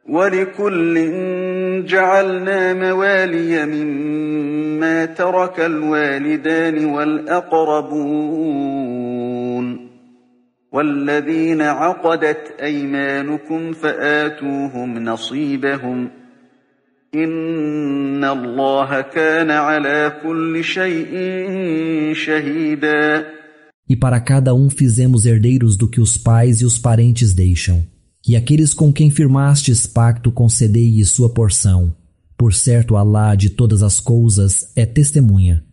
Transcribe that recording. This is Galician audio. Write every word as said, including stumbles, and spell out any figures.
وَلِكُلٍّ جَعَلْنَا مَوَالِيَ مِمَّا تَرَكَ الْوَالِدَانِ وَالْأَقْرَبُونَ وَالَّذِينَ عَقَدَتْ أَيْمَانُكُمْ فَآتُوهُمْ نَصِيبَهُمْ إِنَّ اللَّهَ كَانَ عَلَى كُلِّ شَيْءٍ شَهِيدًا. E para cada um fizemos herdeiros do que os pais e os parentes deixam. E aqueles com quem firmastes pacto concedei-lhe sua porção. Por certo, Alá de todas as coisas é testemunha.